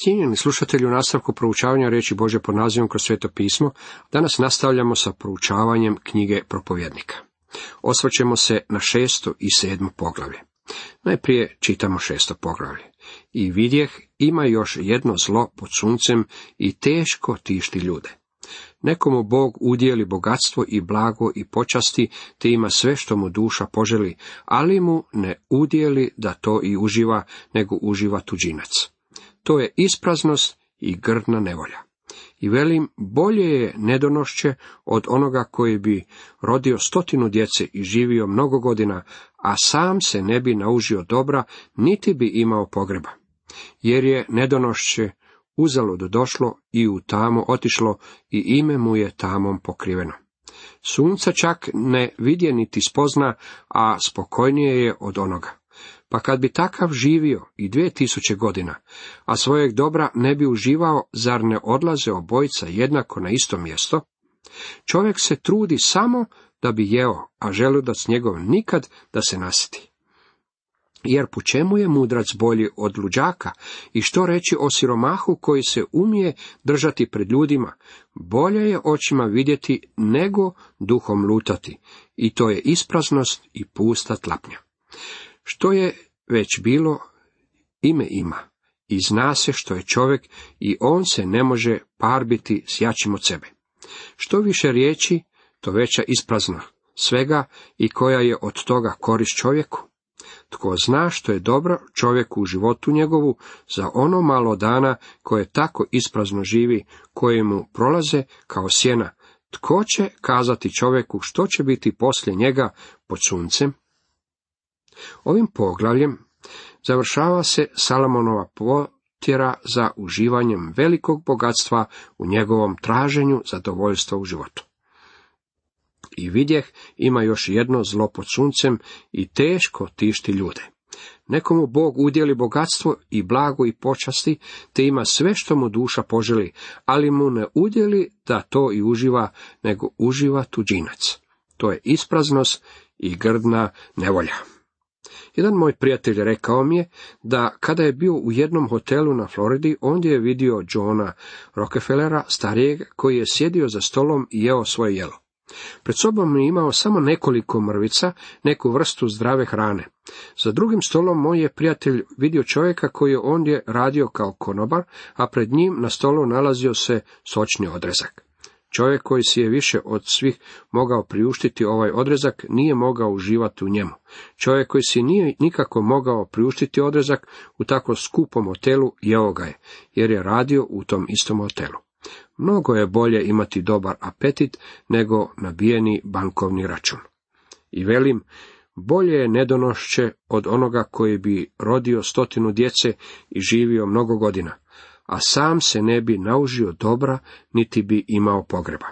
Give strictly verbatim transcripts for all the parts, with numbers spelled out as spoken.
Cijenjeni slušatelji, u nastavku proučavanja riječi Božje pod nazivom Kroz sveto pismo, danas nastavljamo sa proučavanjem knjige Propovjednika. Osvrćemo se na šesto i sedmo poglavlje. Najprije čitamo šesto poglavlje. I vidjeh, ima još jedno zlo pod suncem i teško tišti ljude. Nekomu Bog udijeli bogatstvo i blago i počasti, te ima sve što mu duša poželi, ali mu ne udijeli da to i uživa, nego uživa tuđinac. To je ispraznost i grdna nevolja. I velim, bolje je nedonošće od onoga koji bi rodio stotinu djece i živio mnogo godina, a sam se ne bi naužio dobra, niti bi imao pogreba. Jer je nedonošće uzalud došlo i u tamo otišlo i ime mu je tamom pokriveno. Sunca čak ne vidje niti spozna, a spokojnije je od onoga. Pa kad bi takav živio i dvije tisuće godina, a svojeg dobra ne bi uživao, zar ne odlaze obojica jednako na isto mjesto? Čovjek se trudi samo da bi jeo, a želudac njegov nikad da se nasiti. Jer po čemu je mudrac bolji od luđaka, i što reći o siromahu koji se umije držati pred ljudima? Bolje je očima vidjeti nego duhom lutati, i to je ispraznost i pusta tlapnja. Što je već bilo, ime ima, i zna se što je čovjek, i on se ne može parbiti s jačim od sebe. Što više riječi, to veća isprazna svega, i koja je od toga korist čovjeku. Tko zna što je dobro čovjeku u životu njegovu, za ono malo dana koje tako isprazno živi, koje mu prolaze kao sjena, tko će kazati čovjeku što će biti poslije njega pod suncem? Ovim poglavljem završava se Salomonova potjera za uživanjem velikog bogatstva u njegovom traženju zadovoljstva u životu. I vidjeh, ima još jedno zlo pod suncem i teško tišti ljude. Nekomu Bog udjeli bogatstvo i blago i počasti, te ima sve što mu duša poželi, ali mu ne udjeli da to i uživa, nego uživa tuđinac. To je ispraznost i grdna nevolja. Jedan moj prijatelj rekao mi je da kada je bio u jednom hotelu na Floridi, ondje je vidio Johna Rockefellera, starijeg, koji je sjedio za stolom i jeo svoje jelo. Pred sobom je imao samo nekoliko mrvica, neku vrstu zdrave hrane. Za drugim stolom moj je prijatelj vidio čovjeka koji je ondje radio kao konobar, a pred njim na stolu nalazio se sočni odrezak. Čovjek koji si je više od svih mogao priuštiti ovaj odrezak, nije mogao uživati u njemu. Čovjek koji si nije nikako mogao priuštiti odrezak u tako skupom hotelu, jeo ga je, jer je radio u tom istom hotelu. Mnogo je bolje imati dobar apetit nego nabijeni bankovni račun. I velim, bolje je nedonošće od onoga koji bi rodio stotinu djece i živio mnogo godina, a sam se ne bi naužio dobra, niti bi imao pogreba.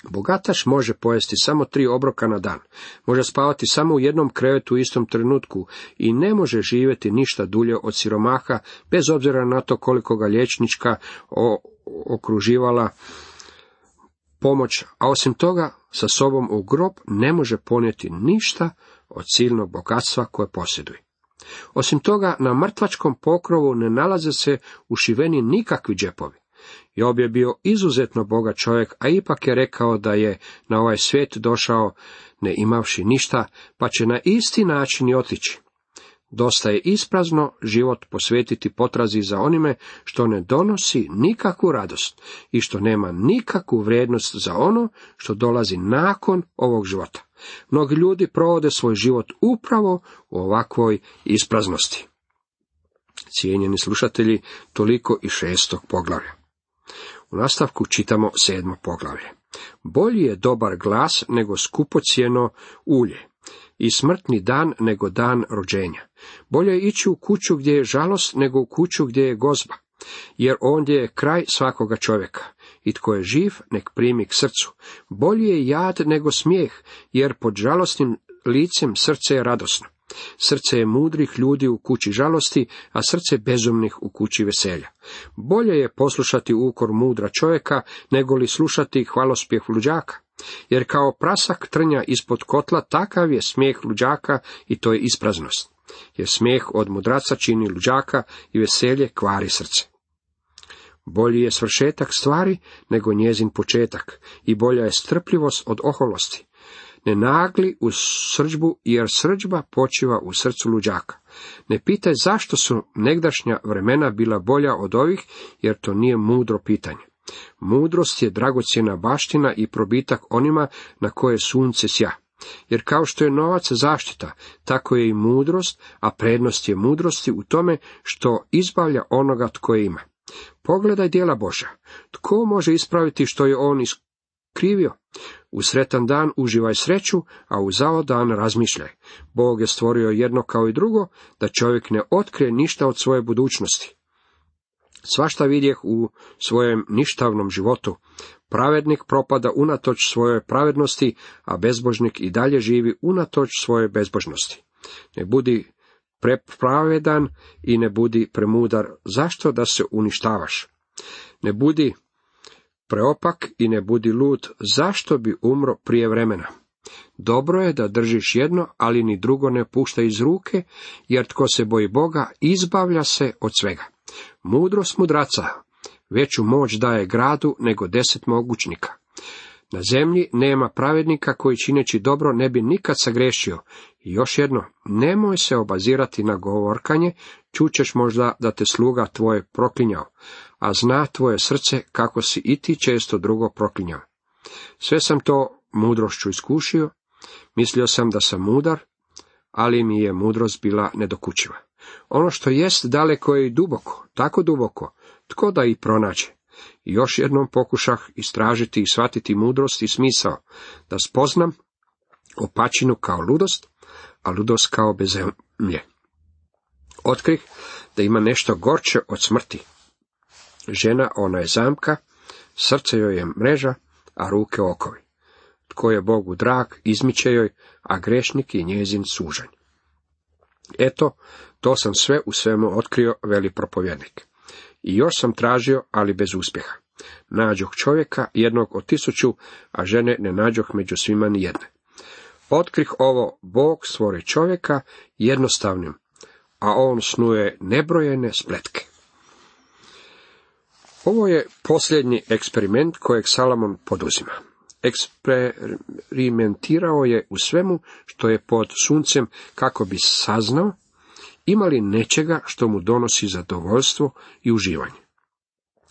Bogataš može pojesti samo tri obroka na dan, može spavati samo u jednom krevetu u istom trenutku i ne može živjeti ništa dulje od siromaha, bez obzira na to koliko ga liječnička okruživala pomoć, a osim toga sa sobom u grob ne može ponijeti ništa od silnog bogatstva koje posjeduje. Osim toga, na mrtvačkom pokrovu ne nalaze se ušiveni nikakvi džepovi. Job je bio izuzetno bogat čovjek, a ipak je rekao da je na ovaj svijet došao ne imavši ništa, pa će na isti način i otići. Dosta je isprazno život posvetiti potrazi za onime što ne donosi nikakvu radost i što nema nikakvu vrijednost za ono što dolazi nakon ovog života. Mnogi ljudi provode svoj život upravo u ovakvoj ispraznosti. Cijenjeni slušatelji, toliko i šestog poglavlja. U nastavku čitamo sedmo poglavlje. Bolji je dobar glas nego skupocjeno ulje, i smrtni dan nego dan rođenja. Bolje je ići u kuću gdje je žalost nego u kuću gdje je gozba, jer ondje je kraj svakoga čovjeka. I tko je živ, nek primi k srcu. Bolje je jad nego smijeh, jer pod žalostnim licem srce je radosno. Srce je mudrih ljudi u kući žalosti, a srce bezumnih u kući veselja. Bolje je poslušati ukor mudra čovjeka, nego li slušati hvalospjeh luđaka. Jer kao prasak trnja ispod kotla, takav je smijeh luđaka i to je ispraznost. jer smijeh od mudraca čini luđaka i veselje kvari srce. Bolji je svršetak stvari nego njezin početak i bolja je strpljivost od oholosti. Ne nagli u srdžbu, jer srdžba počiva u srcu luđaka. Ne pitaj zašto su negdašnja vremena bila bolja od ovih, jer to nije mudro pitanje. Mudrost je dragocjena baština i probitak onima na koje sunce sja. Jer kao što je novac zaštita, tako je i mudrost, a prednost je mudrosti u tome što izbavlja onoga tko je ima. Pogledaj djela Božja. Tko može ispraviti što je on iskrivio? U sretan dan uživaj sreću, a u zao dan razmišljaj. Bog je stvorio jedno kao i drugo, da čovjek ne otkrije ništa od svoje budućnosti. Svašta vidjeh u svojem ništavnom životu. Pravednik propada unatoč svojoj pravednosti, a bezbožnik i dalje živi unatoč svojoj bezbožnosti. Ne budi prepravedan i ne budi premudar. Zašto da se uništavaš? Ne budi preopak i ne budi lud. Zašto bi umro prije vremena? Dobro je da držiš jedno, ali ni drugo ne pušta iz ruke, jer tko se boji Boga, izbavlja se od svega. Mudrost mudraca veću moć daje gradu nego deset mogućnika. Na zemlji nema pravednika koji čineći dobro ne bi nikad sagrešio. I još jedno, nemoj se obazirati na govorkanje, čućeš možda da te sluga tvoje proklinjao, a zna tvoje srce kako si i ti često drugo proklinjao. Sve sam to mudrošću iskušio, mislio sam da sam mudar, ali mi je mudrost bila nedokučiva. Ono što jest daleko je i duboko, tako duboko, tko da i pronađe. I još jednom pokušah istražiti i shvatiti mudrost i smisao, da spoznam opačinu kao ludost, a ludost kao bezemlje. Otkrih da ima nešto gorče od smrti. Žena, ona je zamka, srce joj je mreža, a ruke okovi. Tko je Bogu drag, izmiče joj, a grešnik je njezin sužanj. Eto, to sam sve u svemu otkrio, veli propovjednik. I još sam tražio, ali bez uspjeha. Nađoh čovjeka, jednog od tisuću, a žene ne nađoh među svima ni jedne. Otkrih ovo, Bog stvori čovjeka jednostavnim, a on snuje nebrojene spletke. Ovo je posljednji eksperiment kojeg Salomon poduzima. Eksperimentirao je u svemu što je pod suncem kako bi saznao ima li nečega što mu donosi zadovoljstvo i uživanje.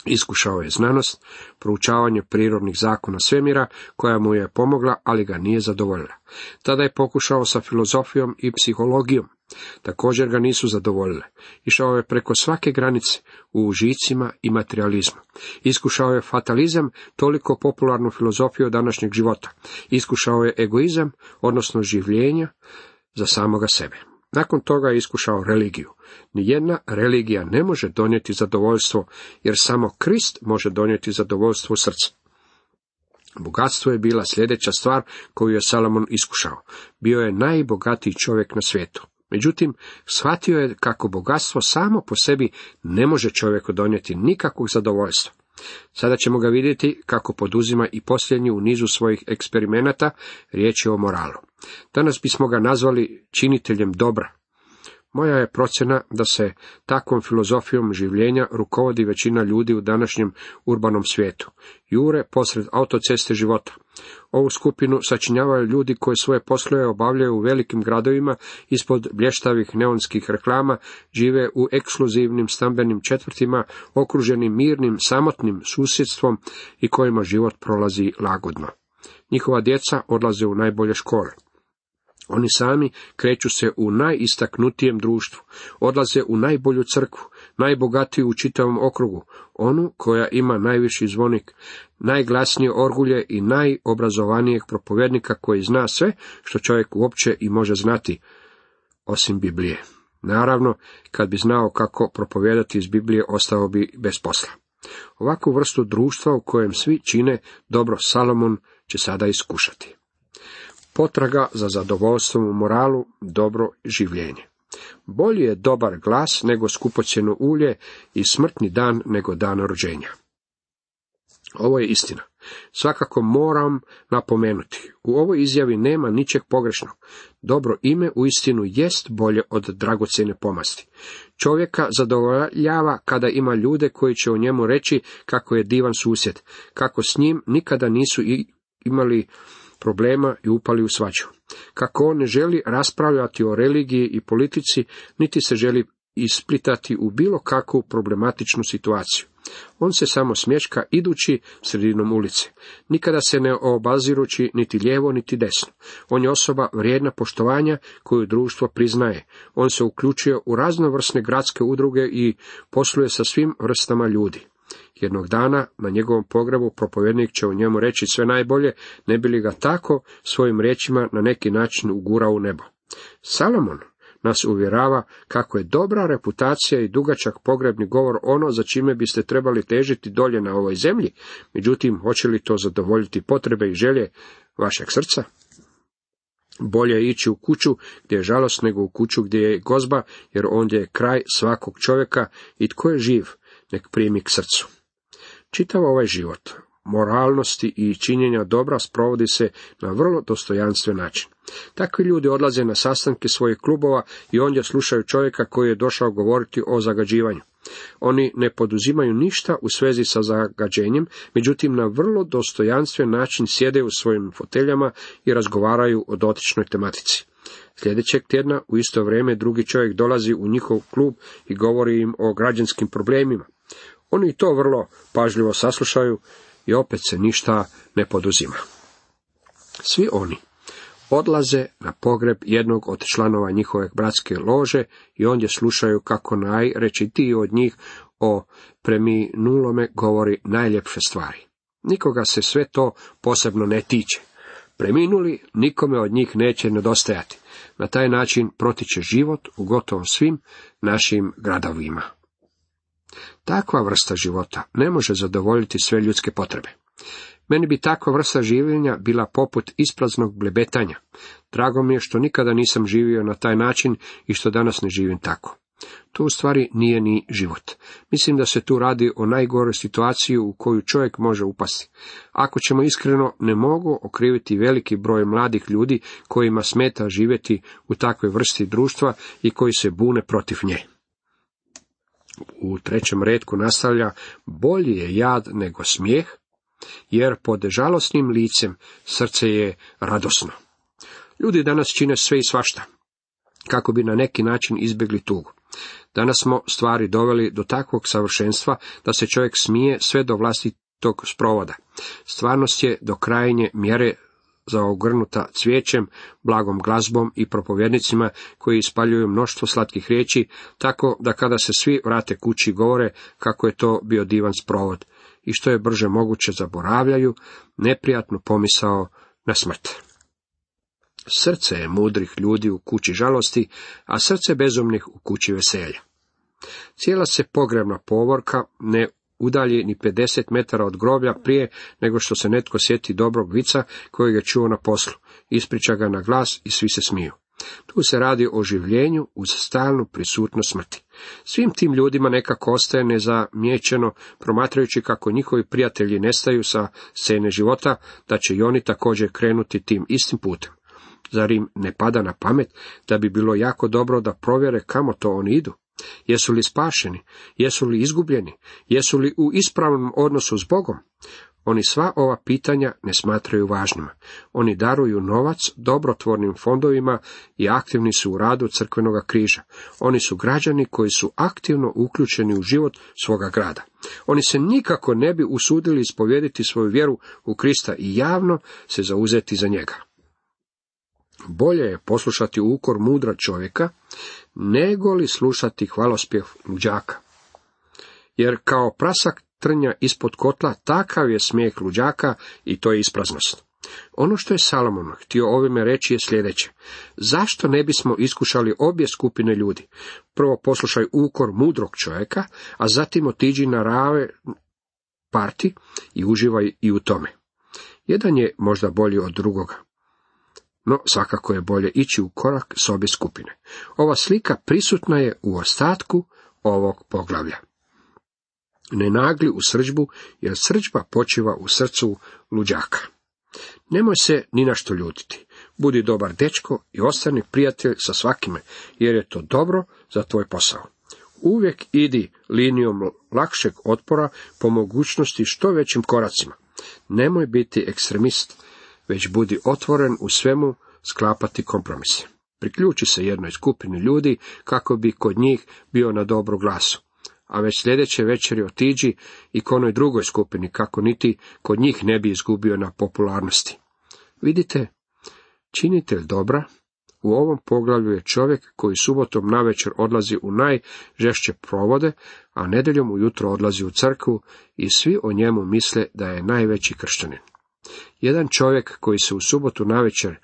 Iskušao je znanost, proučavanje prirodnih zakona svemira, koja mu je pomogla, ali ga nije zadovoljila. Tada je pokušao sa filozofijom i psihologijom. Također ga nisu zadovoljile. Išao je preko svake granice u užicima i materializmu. Iskušao je fatalizam, toliko popularnu filozofiju današnjeg života. Iskušao je egoizam, odnosno življenja za samoga sebe. Nakon toga je iskušao religiju. Nijedna religija ne može donijeti zadovoljstvo, jer samo Krist može donijeti zadovoljstvo srca. Bogatstvo je bila sljedeća stvar koju je Salomon iskušao. Bio je najbogatiji čovjek na svijetu. Međutim, shvatio je kako bogatstvo samo po sebi ne može čovjeku donijeti nikakvog zadovoljstva. Sada ćemo ga vidjeti kako poduzima i posljednji u nizu svojih eksperimenata, riječ je o moralu. Danas bismo ga nazvali činiteljem dobra. Moja je procjena da se takvom filozofijom življenja rukovodi većina ljudi u današnjem urbanom svijetu. Jure posred autoceste života. Ovu skupinu sačinjavaju ljudi koji svoje poslove obavljaju u velikim gradovima ispod blještavih neonskih reklama, žive u ekskluzivnim stambenim četvrtima, okruženim mirnim, samotnim susjedstvom i kojima život prolazi lagodno. Njihova djeca odlaze u najbolje škole. Oni sami kreću se u najistaknutijem društvu, odlaze u najbolju crkvu, najbogatiju u čitavom okrugu, onu koja ima najviši zvonik, najglasnije orgulje i najobrazovanijeg propovjednika koji zna sve što čovjek uopće i može znati, osim Biblije. Naravno, kad bi znao kako propovijedati iz Biblije, ostao bi bez posla. Ovakvu vrstu društva u kojem svi čine dobro Salomon će sada iskušati. Potraga za zadovoljstvom u moralu, dobro življenje. Bolji je dobar glas nego skupocjeno ulje i smrtni dan nego dan rođenja. Ovo je istina. Svakako moram napomenuti, u ovoj izjavi nema ničeg pogrešnog. Dobro ime uistinu jest bolje od dragocjene pomasti. Čovjeka zadovoljava kada ima ljude koji će o njemu reći kako je divan susjed, kako s njim nikada nisu imali problema i upali u svađu, kako on ne želi raspravljati o religiji i politici, niti se želi isplitati u bilo kakvu problematičnu situaciju. On se samo smješka idući sredinom ulice, nikada se ne obazirući niti lijevo niti desno. On je osoba vrijedna poštovanja koju društvo priznaje. On se uključuje u raznovrsne gradske udruge i posluje sa svim vrstama ljudi. Jednog dana na njegovom pogrebu propovjednik će o njemu reći sve najbolje, ne bi li ga tako svojim riječima na neki način ugurao u nebo. Salomon nas uvjerava kako je dobra reputacija i dugačak pogrebni govor ono za čime biste trebali težiti dolje na ovoj zemlji, međutim, hoće li to zadovoljiti potrebe i želje vašeg srca? Bolje je ići u kuću gdje je žalost nego u kuću gdje je gozba, jer ondje je kraj svakog čovjeka i tko je živ, nek primi k srcu. Čitav ovaj život moralnosti i činjenja dobra sprovodi se na vrlo dostojanstven način. Takvi ljudi odlaze na sastanke svojih klubova i ondje slušaju čovjeka koji je došao govoriti o zagađivanju. Oni ne poduzimaju ništa u svezi sa zagađenjem, međutim na vrlo dostojanstven način sjede u svojim foteljama i razgovaraju o dotičnoj tematici. Sljedećeg tjedna u isto vrijeme drugi čovjek dolazi u njihov klub i govori im o građanskim problemima. Oni to vrlo pažljivo saslušaju i opet se ništa ne poduzima. Svi oni odlaze na pogreb jednog od članova njihove bratske lože i ondje slušaju kako najrečitiji od njih o preminulome govori najljepše stvari. Nikoga se sve to posebno ne tiče. Preminuli nikome od njih neće nedostajati. Na taj način protiče život u gotovo svim našim gradovima. Takva vrsta života ne može zadovoljiti sve ljudske potrebe. Meni bi takva vrsta življenja bila poput ispraznog blebetanja. Drago mi je što nikada nisam živio na taj način i što danas ne živim tako. To u stvari nije ni život. Mislim da se tu radi o najgoroj situaciji u koju čovjek može upasti. Ako ćemo iskreno, ne mogu okriviti veliki broj mladih ljudi kojima smeta živjeti u takvoj vrsti društva i koji se bune protiv nje. U trećem retku nastavlja, bolji je jad nego smijeh, jer pod žalosnim licem srce je radosno. Ljudi danas čine sve i svašta, kako bi na neki način izbjegli tugu. Danas smo stvari doveli do takvog savršenstva da se čovjek smije sve do vlastitog sprovoda. Stvarnost je do krajnje mjere zaogrnuta cvijećem, blagom glazbom i propovjednicima koji ispaljuju mnoštvo slatkih riječi, tako da kada se svi vrate kući govore kako je to bio divan sprovod i što je brže moguće zaboravljaju neprijatnu pomisao na smrt. Srce je mudrih ljudi u kući žalosti, a srce bezumnih u kući veselja. Cijela se pogrebna povorka ne udalji ni pedeset metara od groblja prije nego što se netko sjeti dobrog vica kojeg je čuo na poslu, ispriča ga na glas i svi se smiju. Tu se radi o življenju uz stalnu prisutnost smrti. Svim tim ljudima nekako ostaje nezamijećeno, promatrajući kako njihovi prijatelji nestaju sa scene života, da će i oni također krenuti tim istim putem. Zar im ne pada na pamet da bi bilo jako dobro da provjere kamo to oni idu? Jesu li spašeni? Jesu li izgubljeni? Jesu li u ispravnom odnosu s Bogom? Oni sva ova pitanja ne smatraju važnima. Oni daruju novac dobrotvornim fondovima i aktivni su u radu crkvenoga križa. Oni su građani koji su aktivno uključeni u život svoga grada. Oni se nikako ne bi usudili ispovjediti svoju vjeru u Krista i javno se zauzeti za njega. Bolje je poslušati ukor mudra čovjeka, nego li slušati hvalospjev luđaka. Jer kao prasak trnja ispod kotla, takav je smijeh luđaka i to je ispraznost. Ono što je Salomon htio ovime reći je sljedeće. Zašto ne bismo iskušali obje skupine ljudi? Prvo poslušaj ukor mudrog čovjeka, a zatim otiđi na rave parti i uživaj i u tome. Jedan je možda bolji od drugoga. No, svakako je bolje ići u korak s obje skupine. Ova slika prisutna je u ostatku ovog poglavlja. Ne nagli u srdžbu, jer srdžba počiva u srcu luđaka. Nemoj se ni na što ljutiti. Budi dobar dečko i ostani prijatelj sa svakime, jer je to dobro za tvoj posao. Uvijek idi linijom lakšeg otpora, po mogućnosti što većim koracima. Nemoj biti ekstremist, već budi otvoren u svemu sklapati kompromise. Priključi se jednoj skupini ljudi kako bi kod njih bio na dobru glasu. A već sljedeće večeri otiđi i k onoj drugoj skupini, kako niti kod njih ne bi izgubio na popularnosti. Vidite, činitelj dobra u ovom poglavlju je čovjek koji subotom navečer odlazi u najžešće provode, a nedjeljom ujutro odlazi u crkvu i svi o njemu misle da je najveći kršćanin. Jedan čovjek koji se u subotu navečer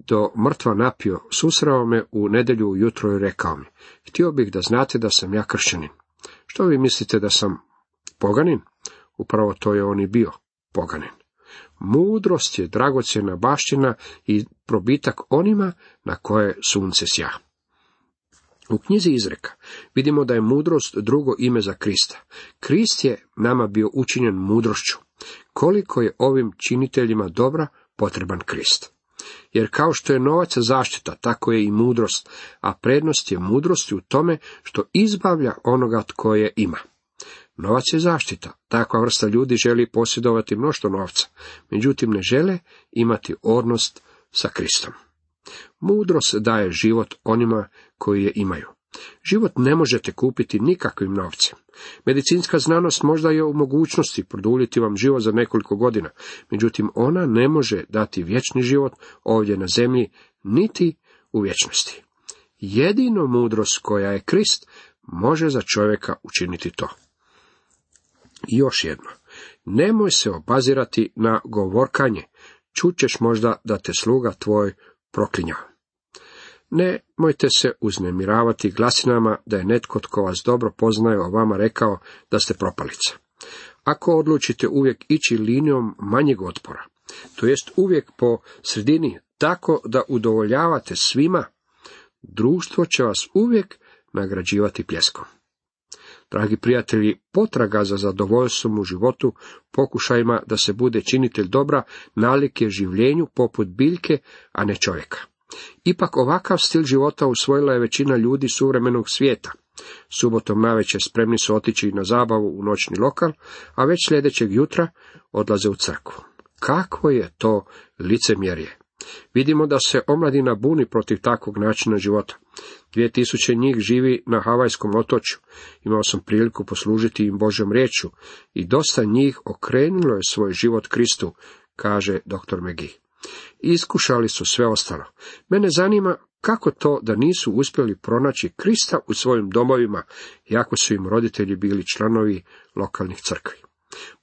do mrtva napio, susreo me u nedjelju ujutro i rekao mi: htio bih da znate da sam ja kršćanin. Što vi mislite, da sam poganin? Upravo to je on i bio, poganin. Mudrost je dragocjena baština i probitak onima na koje sunce sja. U knjizi Izreka vidimo da je mudrost drugo ime za Krista. Krist je nama bio učinjen mudrošću. Koliko je ovim činiteljima dobra potreban Krist. Jer kao što je novac zaštita, tako je i mudrost, a prednost je mudrosti u tome što izbavlja onoga tko je ima. Novac je zaštita. Takva vrsta ljudi želi posjedovati mnoštvo novca, međutim ne žele imati odnos sa Kristom. Mudrost daje život onima koji je imaju. Život ne možete kupiti nikakvim novcem. Medicinska znanost možda je u mogućnosti produljiti vam život za nekoliko godina, međutim ona ne može dati vječni život ovdje na zemlji, niti u vječnosti. Jedino mudrost koja je Krist može za čovjeka učiniti to. I još jedno, nemoj se obazirati na govorkanje, čućeš možda da te sluga tvoj proklinjao. Nemojte se uznemiravati glasinama da je netko tko vas dobro poznaje o vama rekao da ste propalica. Ako odlučite uvijek ići linijom manjeg otpora, to jest uvijek po sredini, tako da udovoljavate svima, društvo će vas uvijek nagrađivati pljeskom. Dragi prijatelji, potraga za zadovoljstvom u životu, pokušajima da se bude činitelj dobra, nalik je življenju poput biljke, a ne čovjeka. Ipak ovakav stil života usvojila je većina ljudi suvremenog svijeta. Subotom navečer spremni su otići na zabavu u noćni lokal, a već sljedećeg jutra odlaze u crkvu. Kakvo je to licemjerje! Vidimo da se omladina buni protiv takvog načina života. Dvije tisuće njih živi na Havajskom otočju. Imao sam priliku poslužiti im Božjom riječju i dosta njih okrenulo je svoj život Kristu, kaže doktor McGee. Iskušali su sve ostalo. Mene zanima kako to da nisu uspjeli pronaći Krista u svojim domovima, iako su im roditelji bili članovi lokalnih crkvi.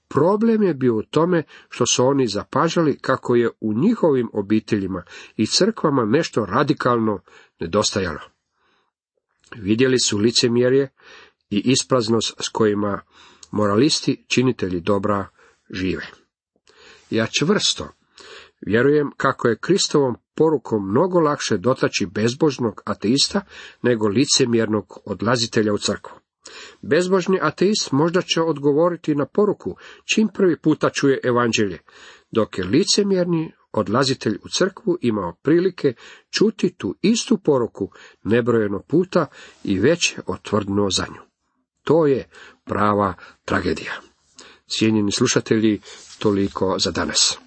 Problem je bio u tome što su oni zapažali kako je u njihovim obiteljima i crkvama nešto radikalno nedostajalo. Vidjeli su licemjerje i ispraznost s kojima moralisti, činitelji dobra, žive. Ja čvrsto vjerujem kako je Kristovom porukom mnogo lakše dotaći bezbožnog ateista nego licemjernog odlazitelja u crkvu. Bezbožni ateist možda će odgovoriti na poruku čim prvi puta čuje evanđelje, dok je licemjerni odlazitelj u crkvu imao prilike čuti tu istu poruku nebrojeno puta i već je otvrdnuo za nju. To je prava tragedija. Cijenjeni slušatelji, toliko za danas.